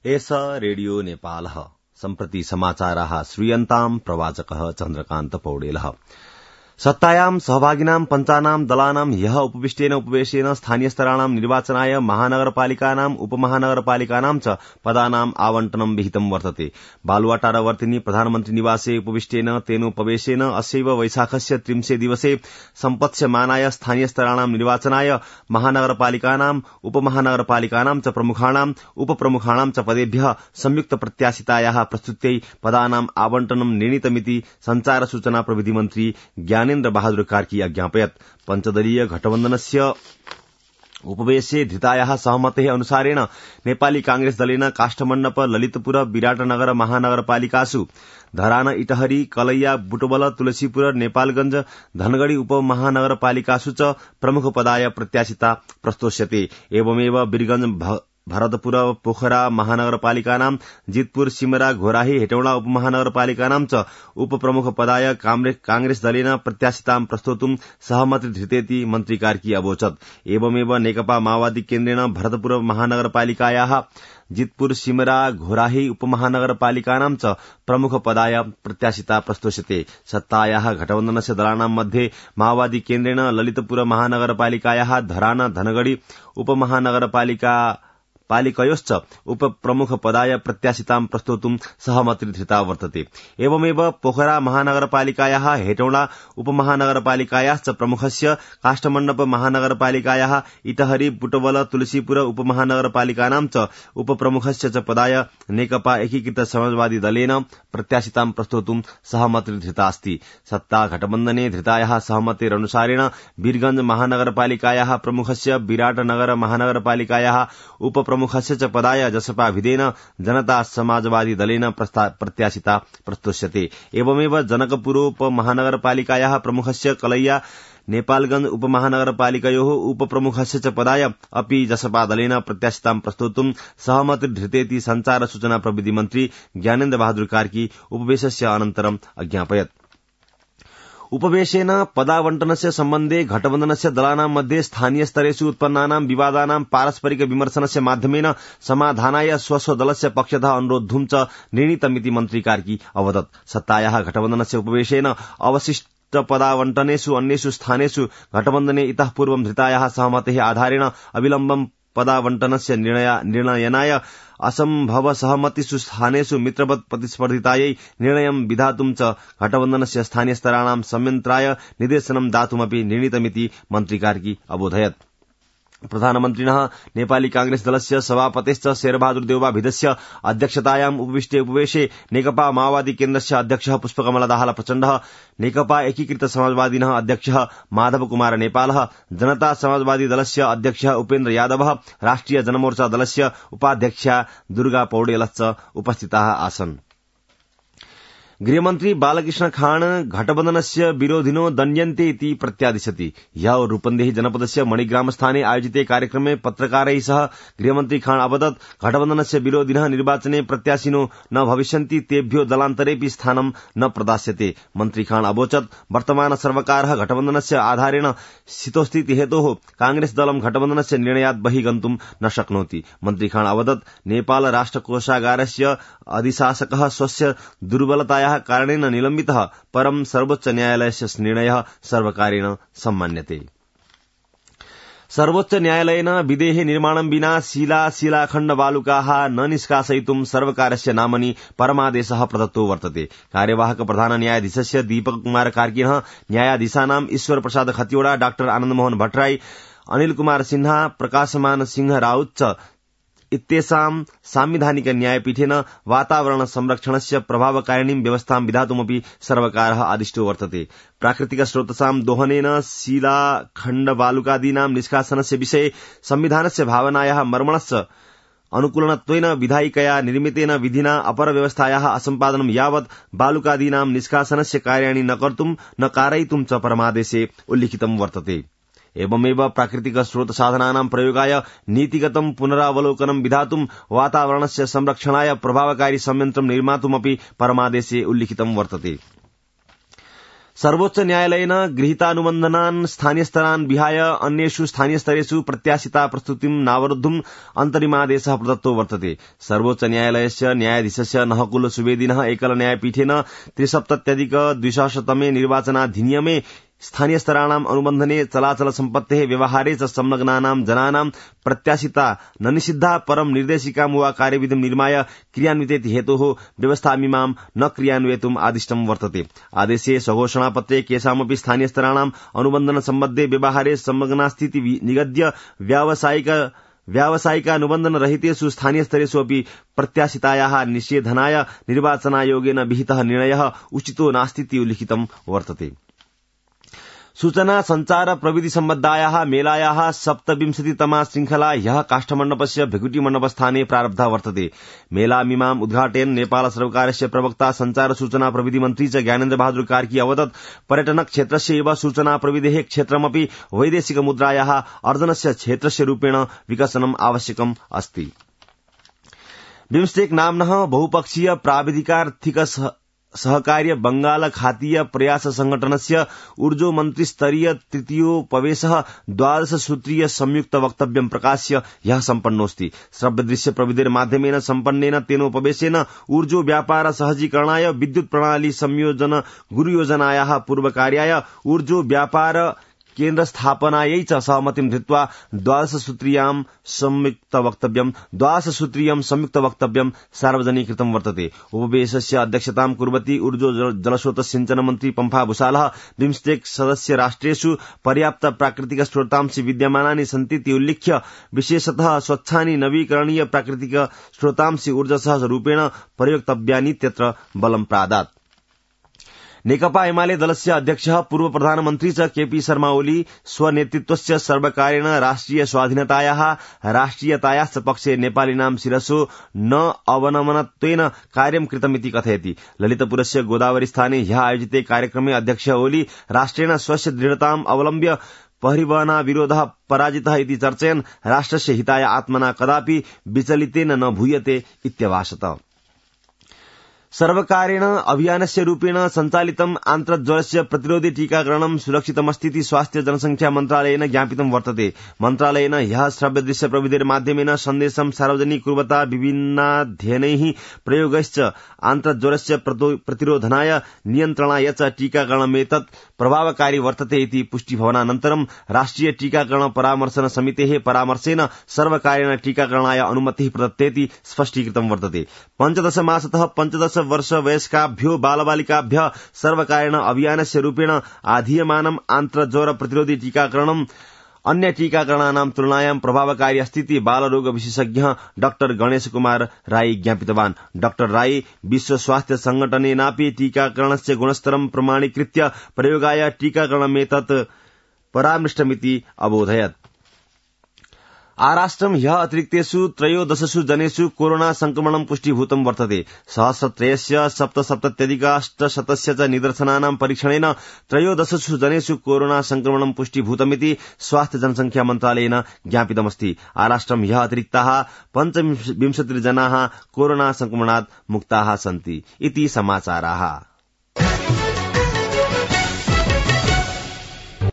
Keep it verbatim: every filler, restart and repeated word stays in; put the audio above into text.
एष रेडियो नेपालः सम्प्रति समाचाराः श्रूयन्ताम् प्रवाचकः चन्द्रकान्त पौडेलः। सत्तायां सहभागिनां पञ्चानां दलानां ह्यः उपविष्टेन उपवेशेन स्थानीयस्तराणां निर्वाचनाय महानगरपालिकानां उपमहानगरपालिकानां च पदानां आवण्टनं विहितं वर्तते। बालुवाटारवर्तिनी प्रधानमन्त्री निवासे उपविष्टेन तेनोपवेशेन अस्यैव वैशाखस्य त्रिंशे दिवसे सम्पत्स्यमानाय स्थानीयस्तराणां निर्वाचनाय महानगरपालिकानां उपमहानगरपालिकानां च प्रमुखाणां उपप्रमुखाणां च पदेभ्यः संयुक्त प्रत्याशितायाः प्रस्तुत्यै पदानां आवण्टनं निर्णीतमिति संचार सूचना प्रविधि मन्त्री ज्ञानेन्द्र बहादुर कार्की अज्ञापयत्। पञ्चदलीय घटबन्धनस्य उपवेशे धृतायाः सहमतेः अनुसारेण नेपाली कांग्रेस दलेन काष्ठमण्डप ललितपुर विराटनगर महानगरपालिकासु धरान इटहरी कलैया बुटवल तुलसीपुर नेपालगंज धनगढ़ी उपमहानगरपालिकासु च प्रमुख पदाय प्रत्याशिता प्रस्तोष्यते। एवमेव वीरगंज भरतपुर पोखरा महानगरपालिकानां जितपुर सिमरा घोराही हेटौडा उपमहानगरपालिकानां च उपप्रमुख पदाय कांग्रेस दलेन प्रत्याशितां प्रस्तोतुं सहमति धृतेति मन्त्री कार्की अवोचत्। एवमेव नेकपा माओवादी केन्द्रेण भरतपुर महानगरपालिकायाः जितपुर सिमरा घोराही उपमहानगरपालिकानां च प्रमुख पदाय प्रत्याशिता प्रस्तोष्यते। सत्तायाः घटबन्धनस्य दलानां मध्ये माओवादी केन्द्रेण ललितपुर महानगरपालिकायाः धरान धनगढ़ी उपमहानगरपालिका पालिकयोश्च उपप्रमुख पदाय प्रत्याशितां प्रस्तोतुं सहमति धृता वर्तते। एवमेव पोखरा महानगरपालिकायाः हेटौडा उपमहानगरपालिकायाश्च प्रमुखस्य काष्ठमण्डप महानगरपालिकायाः इटहरी बुटवल तुलसीपुर उपमहानगरपालिकानां च उपप्रमुखस्य च पदाय नेकपा एकीकृत समाजवादी दलेन प्रत्याशितां प्रस्तोतुं सहमति धृता अस्ति। सत्ता घटबन्धने धृतायाः सहमतेरनुसारेण वीरगंज महानगरपालिकायाः प्रमुखस्य विराटनगर महानगरपालिकायाः उप प्रमुखस्य च पदाय जसपा विधेन जनता समाजवादी दलेन प्रत्याशिता प्रस्तोष्यते। एवमेव जनकपुरोपमहानगरपालिकायाः प्रमुखस्य कलैया नेपालगंज उपमहानगरपालिकयोः उपप्रमुखस्य च पदाय अपि जसपा दलेन प्रत्याशितां प्रस्तोतुं सहमति धृतेति संचार सूचना प्रविधि मन्त्री ज्ञानेन्द्र बहादुर कार्की उपवेशस्य अनन्तरम् अज्ञापयत्। उपवेशेन पदावण्टनस्य सम्बन्धे घटबन्धनस्य दलानां मध्ये स्थानीय स्तरेषु उत्पन्नानां विवादानां पारस्परिक विमर्शनस्य माध्यमेन समाधानाय स्वस्व दलस्य पक्षतः अनुरोद्धुं च निर्णीतमिति मन्त्री कार्की अवदत्। सत्तायाः घटबन्धनस्य उपवेशेन अवशिष्ट पदावण्टनेषु अन्येषु स्थानेषु घटबन्धने इतः पूर्वं धृतायाः सहमतेः आधारेण अविलम्बं पदावण्टनस्य निर्णयनाय असम्भव सहमतिषु स्थानेषु मित्रवत् प्रतिस्पर्धितायै निर्णयं विधातुं च घटबन्धनस्य स्थानीयस्तराणां संयन्त्राय निर्देशनं दातुमपि निर्णीतमिति मन्त्री कार्की अबोधयत्। प्रधानमन्त्रिणः नेपाली कांग्रेस दलस्य सभापतेश्च शेरबहादुर देउवा भिदस्य अध्यक्षतायाम् उपविष्टे उपवेशे नेकपा माओवादी केन्द्रस्य अध्यक्षः पुष्पकमल दाहाल प्रचण्डः, नेकपा एकीकृत समाजवादिनः अध्यक्षः माधव कुमार नेपालः, जनता समाजवादी दलस्य अध्यक्षः उपेन्द्र यादवः, राष्ट्रिय जनमोर्चा दलस्य उपाध्यक्षा दुर्गा पौडेलश्च उपस्थिताः आसन्। गृहमन्त्री बालकृष्ण खान घटबन्धनस्य विरोधिनो दण्ड्यन्ते इति प्रत्यादिशति। ह्यः रूपन्देही जनपदस्य मणिग्राम स्थाने आयोजिते कार्यक्रमे पत्रकारैः सह गृहमन्त्री खान अवदत् घटबन्धनस्य विरोधिनः निर्वाचने प्रत्याशिनो न भविष्यन्ति, तेभ्यो दलान्तरेऽपि स्थानं न प्रदास्यते। मन्त्री खान अवोचत् वर्तमान सर्वकारः घटबन्धनस्य आधारेण स्थितोस्थिति हेतोः कांग्रेस दलं घटबन्धनस्य निर्णयात् बहिः गन्तुं न शक्नोति। मन्त्री खान अवदत् नेपाल राष्ट्रकोषागारस्य अधिशासकः स्वस्य दुर्बलतायाः कारणेन निलम्बितः, परं सर्वोच्च न्यायालयस्य निर्णयः सर्वकारेण सम्मान्यते। सर्वोच्च न्यायालयेन विदेहे निर्माणं विना शिला शिलाखण्ड बालुकाः न निष्कासयितुं सर्वकारस्य नामनि परमादेशः प्रदत्तो वर्तते। कार्यवाहक प्रधान न्यायाधीशस्य दीपक कुमार कार्किनः न्यायाधीशानां ईश्वर प्रसाद खतिवड़ा, डाक्टर आनन्द मोहन भट्टराई, अनिल कुमार सिन्हा, प्रकाशमान सिंह राउत च इत्येषां सांविधानिक न्यायपीठेन वातावरण संरक्षणस्य प्रभावकारिणीं व्यवस्थां विधातुमपि सर्वकारः आदिष्टो वर्तते। प्राकृतिक स्रोतसां दोहनेन शिलाखण्ड बालुकादीनां निष्कासनस्य विषये संविधानस्य भावनायाः मर्मणश्च अनुकूलनत्वेन विधायिकया निर्मितेन विधिना अपरव्यवस्थायाः असम्पादनं यावत् बालुकादीनां निष्कासनस्य कार्याणि न कर्तुं न कारयितुं च परमादेशे उल्लिखितं वर्तते। एवमेव प्राकृतिक स्रोत साधनानां प्रयोगाय नीतिगतं पुनरावलोकनं विधातुं वातावरणस्य संरक्षणाय प्रभावकारी संयन्त्रं निर्मातुमपि परमादेशे उल्लिखितं वर्तते। सर्वोच्च न्यायालयेन गृहीतानुबन्धनान् स्थानीयस्तरान् विहाय अन्येषु स्थानीयस्तरेषु प्रत्याशिता प्रस्तुतिं नावरुद्धुम् अन्तरिमादेशः प्रदत्तो वर्तते। सर्वोच्च न्यायालयस्य न्यायाधीशस्य नहकुल सुवेदिनः एकल न्यायपीठेन त्रिसप्तत्यधिक द्विसहस्रतमे निर्वाचनाधिनियमे स्थानीयस्तराणाम् अनुबन्धने चलाचल सम्पत्तेः व्यवहारे च संलग्नानां जनानां प्रत्याशिता न निषिद्धा परं निर्देशिकां वा कार्यविधिं निर्माय क्रियान्वितेति हेतोः व्यवस्थामिमां न क्रियान्वेतुम् आदिष्टं वर्तते। आदेशे स्वघोषणापत्रे केषामपि स्थानीयस्तराणाम् अनुबन्धन सम्बद्धे व्यवहारे संलग्नास्थिति निगद्य व्यावसायिक व्यावसायिकानुबन्धन रहितेषु स्थानीयस्तरेषु अपि प्रत्याशितायाः निषेधनाय निर्वाचनायोगेन विहितः निर्णयः उचितो नास्तीति उल्लिखितं वर्तते। सूचना संचार प्रविधि सम्बद्धायाः मेलायाः सप्तविंशतितमा श्रृंखला ह्यः काष्ठमण्डपस्य भृगुटी मण्डपस्थाने प्रारब्धा वर्तते। मेलामिमाम् उद्घाटयन् नेपाल सर्वकारस्य प्रवक्ता संचार सूचना प्रविधि मन्त्री च ज्ञानेन्द्र बहादुर कार्की अवदत् पर्यटन क्षेत्रस्य एव सूचना प्रविधेः क्षेत्रमपि वैदेशिक मुद्रायाः अर्जनस्य क्षेत्रस्य रूपेण विकसनम् आवश्यकम् अस्ति। बिम्स्टेक नाम्नः बहुपक्षीय प्राविधिकार्थिक सहकार्य बंगाल खातीय प्रयास संघटनस्य ऊर्जो मन्त्रिस्तरीय तृतीयोपवेशः द्वादश सूत्रीय संयुक्त वक्तव्यं प्रकाश्य ह्यः सम्पन्नोऽस्ति। श्रव्यदृश्य प्रविधिर्माध्यमेन सम्पन्नेन तेनोपवेशेन ऊर्जो व्यापार सहजीकरणाय विद्युत प्रणाली संयोजन गुरुयोजनायाः पूर्वकार्याय ऊर्जो व्यापार केन्द्र स्थापनायै च सहमतिं धृत्वा द्वादश सूत्रीयां संयुक्त वक्तव्यं द्वादश सूत्रीयं संयुक्त वक्तव्यं सार्वजनीकृतं वर्तते। उपवेशस्य अध्यक्षतां कुर्वती ऊर्जो जलस्रोत सिंचन मन्त्री पम्फा भूषालः बिम्स्टेक सदस्य राष्ट्रेषु पर्याप्त प्राकृतिक स्रोतांसि विद्यमानानि सन्तीति उल्लिख्य विशेषतः स्वच्छानि नवीकरणीय प्राकृतिक स्रोतांसि ऊर्जसह रूपेण प्रयोक्तव्यानीत्यत्र बलं प्रादात्। नेकपा एमाले दलस्य अध्यक्षः पूर्व प्रधानमन्त्री च केपी शर्मा ओली स्वनेतृत्वस्य सर्वकारेण राष्ट्रिय स्वाधीनतायाः राष्ट्रियतायाश्च पक्षे नेपालिनां शिरसो न अवनमनत्वेन कार्यं कृतमिति कथयति। ललितपुरस्य गोदावरी स्थाने ह्यः आयोजिते कार्यक्रमे अध्यक्ष ओली राष्ट्रेण स्वस्य दृढताम् अवलम्ब्य परिवहनाविरोधः पराजितः इति चर्चयन् राष्ट्रस्य हिताय आत्मना कदापि विचलितेन न भूयते इत्यभाषत। सर्वकारेण अभियानस्य रूपेण सञ्चालितम् आन्त्रज्वरस्य प्रतिरोधि टीकाकरणं सुरक्षितमस्तीति स्वास्थ्य जनसंख्या मन्त्रालयेन ज्ञापितं वर्तते। मन्त्रालयेन ह्यः श्रव्यदृश्य प्रविधिर्माध्यमेन सन्देशं सार्वजनिकुर्वता विभिन्नाध्ययनैः प्रयोगैश्च आन्त्रज्वरस्य प्रतिरोधनाय नियन्त्रणाय च टीकाकरणमेतत् प्रभावकारी वर्तते इति पुष्टिभवनानन्तरं राष्ट्रिय टीकाकरण परामर्शन समितेः परामर्शेन सर्वकारेण टीकाकरणाय अनुमतिः प्रदत्तेति स्पष्टीकृतं वर्तते। पञ्चदश मासतः पञ्चदश वर्ष वयस्काभ्यो बालबालिकाभ्यः सर्वकारेण अभियानस्य रूपेण आधीयमानम् आन्त्रज्वर प्रतिरोधि टीकाकरणम् अन्य टीकाकरणानां तुलनायां प्रभावकारी अस्तीति बालरोग विशेषज्ञः डाक्टर गणेश कुमार राई ज्ञापितवान्। डाक्टर राई विश्व स्वास्थ्य संघटनेनापि टीकाकरणस्य गुणस्तरं प्रमाणीकृत्य प्रयोगाय टीकाकरणमेतत् परामृष्टमिति अबोधयत्। आराष्ट्रं ह्यः अतिरिक्तेषु त्रयोदशसु जनेषु कोरोना संक्रमणं पुष्टीभूतं वर्तते। सहस्रत्रयस्य सप्तसप्तत्यधिकाष्टशतस्य च निदर्शनानां परीक्षणेन त्रयोदशसु जनेषु कोरोना संक्रमणं पुष्टीभूतमिति स्वास्थ्य जनसंख्या मन्त्रालयेन ज्ञापितमस्ति। आराष्ट्रं ह्यः अतिरिक्ताः पञ्चविंशतिर्जनाः कोरोना संक्रमणात् मुक्ताः सन्ति इति समाचाराः।